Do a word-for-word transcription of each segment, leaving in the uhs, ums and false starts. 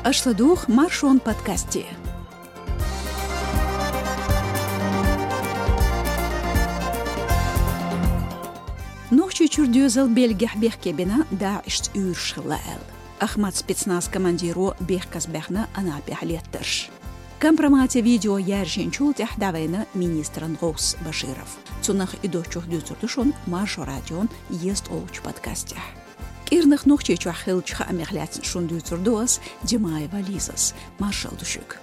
Аша ладугӀу Маршон подкасте. Нохчийчуьра доьзал Бельгехь бехке бина, ДАИШца уьйраш хилла аьлла. Ахмат спецназ командиро бехказбаьхна Анапехь леттарш. Компромате видео яьржинчул тӀаьхьа дӀавайна министран гӀовс Баширов. Цунах а, и доцчух а дуьйцур ду шуна Маршо радион езткъолгӀачу подкастехь. КӀирнах Нохчийчохь хиллачу хаамех лаьцна шуна дуьйцур ду ас, Димаева Лизас. Маршалла ду шуьга.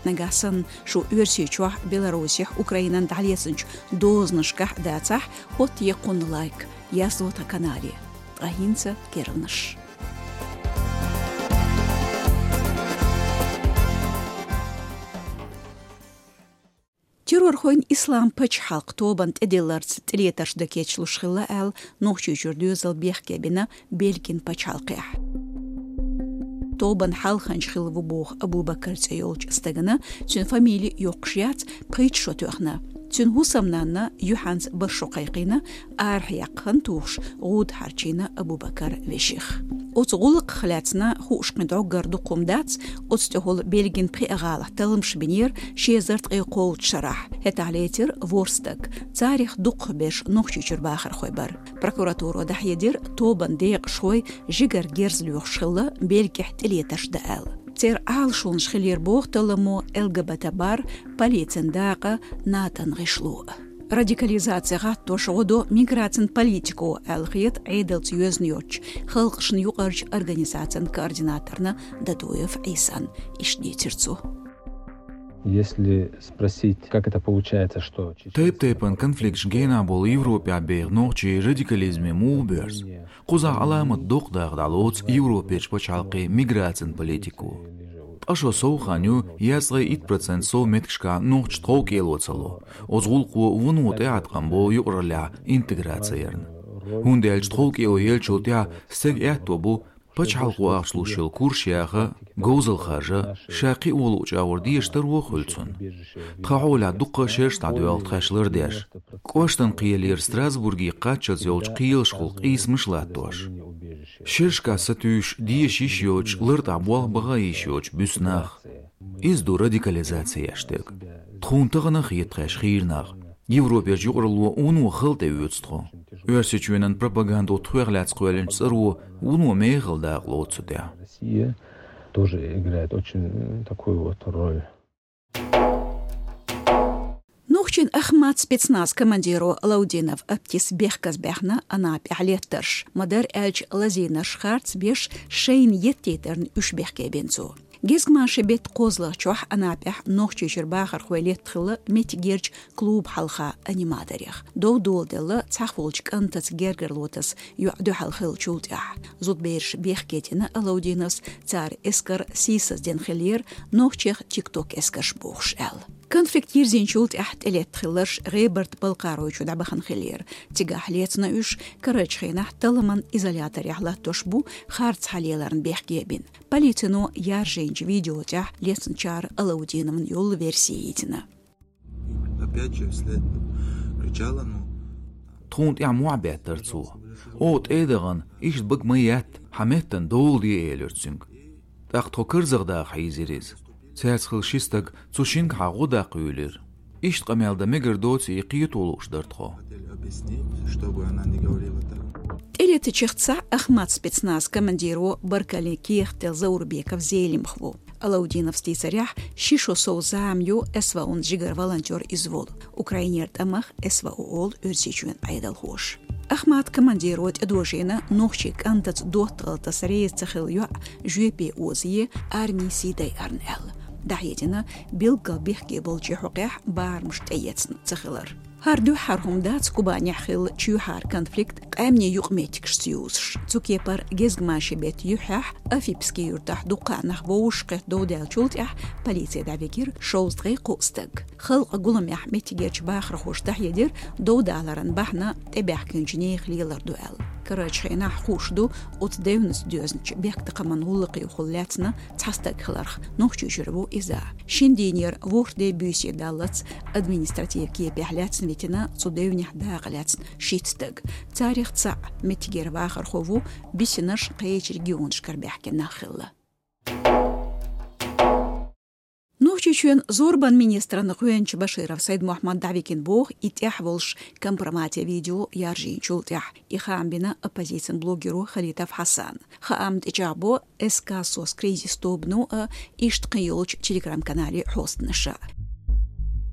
Нагахь санна шу Оьрсийчохь, Беларусехь, Украинан дӀалецначу дозанашкахь а дацахь, хӀоттае кхунна лайк, язло тхан канале. Ткъа хӀинца керланаш. Террорхойн Ислам пачхьалкх тобанна тӀедилларца тӀелетарш дан кечлуш хилла аьлла, Нохчийчуьра доьзал бехке бина Бельгин пачхьалкхехь. Тобанна хьалханча хилла ву боху Абу-Бакар цӀе йолчу стагана, цуьнан фамили йоккхуш яц, пхийтта шо тоьхна. Цуьнан хӀусамнанна юьхьанца бархӀ шо кхайкхийна, арахьа яккха хан тухуш, гӀуда хьарчийна Абу-Бакар веших. Оцу гӀуллакхах лаьцна хууш кхин дӀоггара дукха хӀума дац, оцу тӀехула Бельгин пхеа гӀалахь талламаш бинера ши эзар ткъе кхоалгӀачу шарахь. ХӀетахь лецира ворхӀ стаг. Царах дукхахберш Нохчийчуьра бахархой бара. Прокуратуро дӀахьедира, тобанан декъашхой жигара герз лоьхуш хилла Бельгехь тӀелетарш дан аьлла. Церан Ӏалашонаш хилира боху талламо, ЛГБТ бар, полицин дакъа, НАТОн гӀишло. Радикализаци гӀаттош гӀо до миграцин политико аьлла хета Ӏедалца йоьзна йоцчу халкъашна юкъарчу организацин координаторна Дадуев Ӏийсан. Иштта дийцира цо. Если спросить, как это получается, что чеченцы... Тайп-тайпана конфликташ генахь болу Европехь беха нохчий радикализме муха боьрзу? Кхузахь Ӏаламат доккха дакъа дӀалоцу Европерчу пачхьалкхийн миграцин политико. Ткъа шо сов хан ю, езткъе итт процент сов меттигашкахь нохчаша тховкӀело ца ло. Оцу гӀуллакхо вуно тӀеӀаткъам бо юкъараллехь интеграци ярна. ХӀунда аьлча тховкӀело еллачул тӀаьхьа стеган аьтто бу пачхьалкхо ахча луш йолу курсаш яха, говзалла харжа, ша кхин а вон луучу агӀор дезаш таро а хуьлу цунна. Тхан хьолехь дуккха а шераш дӀадоьлху тхаьш лардеш. КӀоштан кхелера Страсбурге кхаччалц йолчу кхелашхула къийсамаш а латтош. Шерашкахь сатуьйсуш, деша йиш йоцуш, лартӀехь болх баха йиш йоцуш буьсу нах. Иза ду радикализаци еш дерг. Тхуна тахана а хета тхаьш хийра нах. Европерчу юкъаралло вуно хала тӀеоьцу тхо. Оьрсийчоьнан пропагандо тхох лаьцна кхоьллинчу цӀаро вуно мехала дакъа лоцу цу тӀехь. Россия тоже играет очень такую вот роль. Нохчийн Ахмат спецназ командиро Алаудинов Аптис бехказбаьхна Анапехь леттарш. Ма-дарра аьлча, лазийнарш харц беш шайна еттийтарна уьш бехке бина цо. Гезгмашин беттан кхозлагӀчохь Анапехь Нохчийчуьра бахархой летта хилла меттигерчу клуб хьалха аниматорех. Дов доладелла цхьахволчу кӀантаца гергарло таса йоӀ дуьхьал хиллачул тӀаьхьа. Зудбераш бехке дина Алаудиновс, цара эскар сийсаздина хиллера, нохчех тикток-эскарш бохуш аьлла. Конфликт йирзинчул тӀаьхьа тӀелетта хилларш ГӀебарта-Балкхаройчу дӀабахана хиллера. Цигахь лецна уьш, карарчу хенахь талламан изоляторехь латтош бу, харц хьалеларна бехке бина. Полицино яржийначу видео тӀехь лецначара Алаудиновн йолу верси йийцина. Опять же вслед кричала, ну. Тхуна тӀехь мохь беттара цо. О, тӀе а дахана, иштта бага ма етта, хьан меттана дола де, элира цуьнга. ТӀаккха тхо карзах даха хьийзира иза. Цаьрца хилла ши стаг цу шингахьа гӀо даккха юьйлира. Иштта къамел дан мегар доций, и кхето лууш дара тхо. Хотели объяснить, чтобы она не говорила так. ТӀелетачех цхьаъ Ахмат спецназ командиро баркаллин кехат делла Заурбеков Зелимха ву. Алаудиновс дийцарехь, ши шо сов зама ю СВО-н жигара волонтер иза волу. Украинера тӀамах СВО олу Оьрсийчоьнан Ӏедалхоша. Ахмат командиро тӀедожийна нохчийн кӀантаца доттагӀалла таса реза ца хилла йоӀ жоьпе озае, армин сий дайарна аьлла. ДӀахьедина, билггал бехке болчийн хьокъехь барамаш тӀеэцна ца хилар. ХӀара дуьххьара хӀума дац Кубанехь хилла чоьхьара конфликт къаьмнийн юкъаметтигашца юзуш. Цу кепара гезгмашин беттан юьххьехь Афипский юьртахь дуккха а нах вовшахкхетта дов даьллачул тӀаьхьа полице дӀавигира шовзткъе кхоъ стаг. Халкъан гуламехь меттигерчу бахархоша дӀахьедира, дов даларан бахьана тӀебаьхкинчу нехан лелар ду аьлла. Карарчу хенахь хууш ду оцу девнаца доьзначу бехктакхаман гӀуллакхехула лаьцна цхьа стаг хиларх, Нохчийчуьра ву иза. Шина дийнера ворхӀ де буьйса даллалц административан кепехь лаьцна витина цу девнехь дакъа лаьцна шийтта стаг. Царех цхьаъ меттигера вахархо ву, бисинарш кхечу регионашкара баьхкина нах хилла. Нохчийчоьн зорбан министран гӀоьнча Баширов Сайд-Мухьаммад дӀавигна боху и тӀехь волуш компромате видео яржийначул тӀаьхьа. И хаам бина оппозицин блогеро Халитов Хьасан. Хаам тӀечӀагӀбо СК «СОС» кризис тобано а, иштта кхин йолчу телеграм-канале хьостанаша.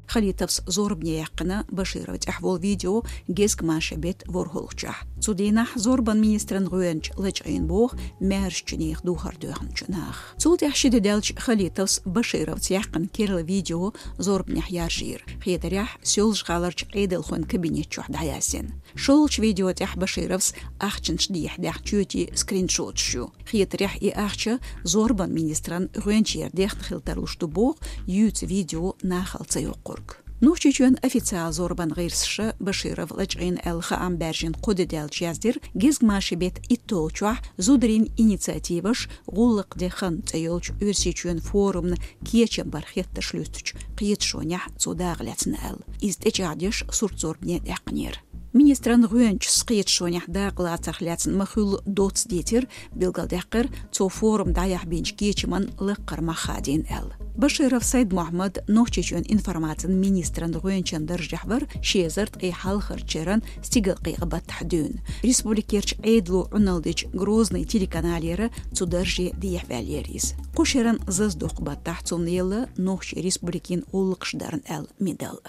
Халитовс зорбане яьккхина Баширов тӀехь волу видео гезгмашин беттан ворхӀалгӀачохь. Цу дийнахь зорбан министран гӀоьнча лачкъийна боху маьршачу нехан духар доьхначу наха. Цул тӀаьхьа ши де даьлча Халитовс Башировца яьккхина керла видео зорбанехь яржийра. Хетарехь, Соьлжа-ГӀаларчу Ӏедалхойн кабинет чохь дӀаяздина. ШолгӀачу видео тӀехь Башировс ахчанаш дехьа даьхна чоьтийн скриншоташ ю. Хетарехь, и ахча зорбан министран гӀоьнчера дехна хила тарлуш ду боху юьйцу видео нахала ца йоккхург. Нохчийчоьнан официал зорбан гӀирсаша Баширов лачкъийна аьлла хаам баьржина кхо де даьлча яздира, гезгмашин беттан итталгӀачохь «Зударийн инициативаш: гӀуллакх де хан» цӀе йолчу Оьрсийчоьнан форумна кечам бар хеттарш луьстучу кхеташонехь цо дакъа лаьцна аьлла. Иза тӀечӀагӀдеш сурт зорбане даьккхинера. Министран гӀоьнчас кхеташонехь дакъа лацарх лаьцна ма-хуьллу доцца дийцира, билгалдаьккхира, цо форум дӀаяхьа бинчу кечаман лаккхара мах хадийна аьлла. Баширов Сайд-Мухьаммад Нохчийчоьнан информацин министран гӀоьнчан даржехь вара ши эзар ткъе хьалхарчу шеран стигалкъекъа баттахь дуьйна. Республикерчу Ӏедало Ӏуналдича Грозный телеканалера цу дарже дехьаваьллера иза. Кху шеран зазадоккху баттахь цунна елла Нохчийн Республикин гӀуллакхаш дарна аьлла медаль.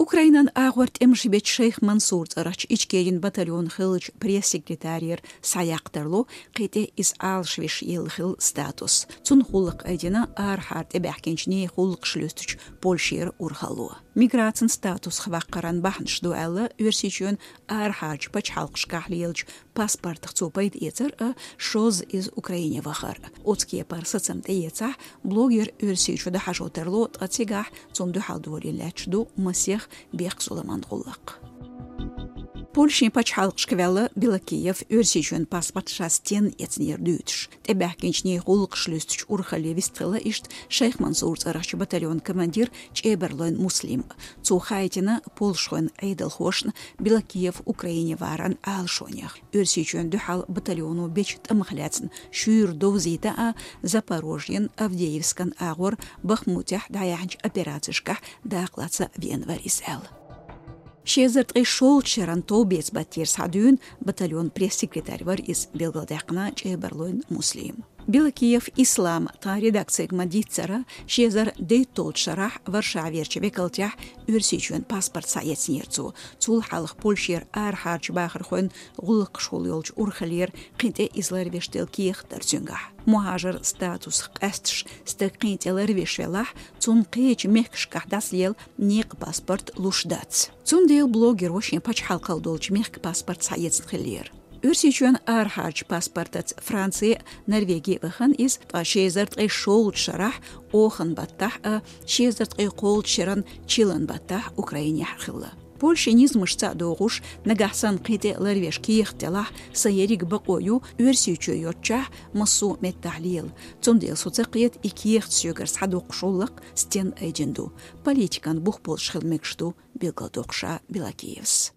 Украинан агӀор тӀемаш бечу Шайх Мансур цӀарахчу Ичкерин батальон хиллачу пресс-секретарера схьаяккха тарло кхин тӀе иза Ӏалашвеш елла хилла статус. Цунна гӀуллакх айдина арахьара тӀебаьхкинчу нехан гӀуллакхаш луьстучу Польшера урхалло. Миграцин статусах ваккхаран бахьанаш ду аьлла, Оьрсийчоьнан арахьарчу пачхьалкхашкахь лелачу паспортах цо пайда эцар а, шозза иза Украине вахар а. Оцу кепара сацам тӀеэцахь, блогер Оьрсийчу дӀахьажо тарло, ткъа цигахь цунна дуьхьал долийна лаьтташ ду масех бехк-зуламан гӀуллакх. Польшин пачхьалкхашка ваьлла Белокиев Оьрсийчоьнан паспорт ша стенна эцнера дуьйцуш. ТӀебаьхкинчу нехан гӀуллакхаш луьстучу урхалле вистхилла иштта Шайх Мансур цӀарахчу батальонан командир ЧӀебарлойн Муслим. Цо хаийтина польшхойн Ӏедалхошна Белокиев Украине варан Ӏалашонех. Оьрсийчоьнна дуьхьал батальоно бечу тӀамах лаьцна шуьйра довзийта а, Запорожьен, Авдеевскан агӀор Бахмутехь дӀаяьхьначу операцешкахь дакъалаца веана вара иза аьлла. Ши эзар ткъе шолгӀачу шеран товбеца баттера схьадуьйна батальон пресс-секретарь вара иза, билгалдаьккхина ЧӀебарлойн Муслим. Белокиев Ислам тхан редакцига ма-дийццара, ши эзар дейтталгӀачу шарахь Варшаверчу векалтехь Оьрсийчоьнан паспорт схьаэцнера цо. Цул хьалха Польшера арахьарчу бахархойн гӀуллакхашхула йолчу урхаллера кхин тӀе иза ларвеш делла кехат дара цуьнгахь. Мухьажар статусах къаьсташ стаг кхин тӀе ларвеш велахь, цунна кхечу мехкашкахь дӀасалела некъан паспорт луш дац. Цундела блогеро шен пачхьалкхалла долчу мехкан паспорт схьаэцна хиллера. Оьрсийчоьнан арахьарчу паспортаца Франци а, Норвеги а вахана иза, ткъа ши эзар ткъе шолгӀачу шарахь Оханан баттахь а, ши эзар ткъе кхоалгӀачу шеран чиллан баттахь Украинехь хилла. Польшин низамашца а догӀуш, нагахь санна кхин тӀе ларвеш кехат делахь, сан ерриг бакъо ю Оьрсийчоь йоцчохь массо а меттахь лела. Цундела со ца кхета, и кехат соьгара схьадоккхуш гӀуллакх стенна айдина ду. Политикан бух болуш хила мегаш ду, билгалдоккхуш Белокиевс.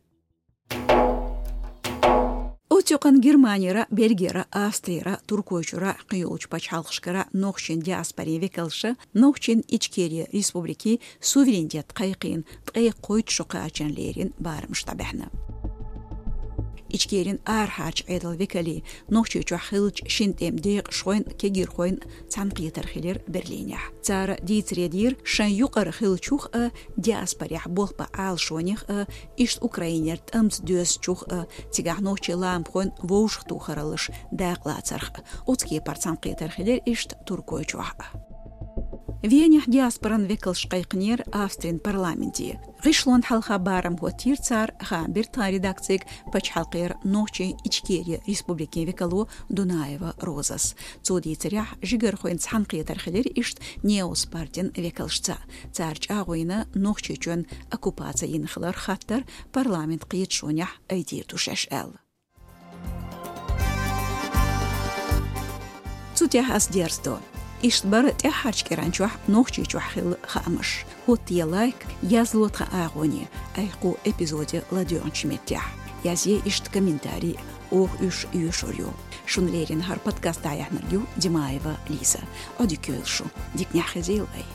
Оццу юкъана Германера, Бельгера, Австрера, Туркойчуьра, кхин йолчу пачхьалкхашкара нохчийн диаспорин векалша Нохчийн Ичкери Республикин суверенитет кхайкхийна ткъе кхойтта шо кхачарна лерина барамаш дӀабаьхьна. Ичкерин арахьарчу Ӏедалан векалий Нохчийчохь хиллачу шина тӀеман декъашхойн, кегийрхойн цхьаьнакхетар хилира Берлинехь. Цара дийцаре дийра шайн юкъара хиллачух а, диаспорехь болх бан Ӏалашонех а, иштта Украинера тӀамца доьзначух а, цигахь нохчийн ламахойн вовшахтохараллаш дакъалацарх а. Оцу кепара цхьаьнакхетар хилира иштта Туркойчохь а. Венехь диаспоран векалш кхайкхинера Австрин парламенте. ГӀишлонна хьалха барам хӀоттийра цара, хаам бира тхан редакцига пачхьалкхера Нохчийн Ичкери Республикин векало Дунаева Розас. Цо дийцарехь, жигархойн цхьаьнакхетар хилира иштта Неос партин векалшца. Цара чӀагӀо йина Нохчийчоьнна оккупаци йина хиларх хаттар парламентан кхеташонехь айдийр ду шаьш аьлла. Цу тӀехь ас дерзадо. Иштта бара тӀаьххьарчу кӀиран чохь Нохчийчохь хилла хаамаш. ХӀоттае лайк, язло тхан агӀоне, айхьа кху эпизоде ладоьгӀначу меттехь. Язъе иштта комментарий. Оаха уж оьшур ю. Шун леррина хӀара подкаст дӀаяьхьнарг ю Димаева Лиза. Ӏодика йойла шу. Дика нах хезийла вай.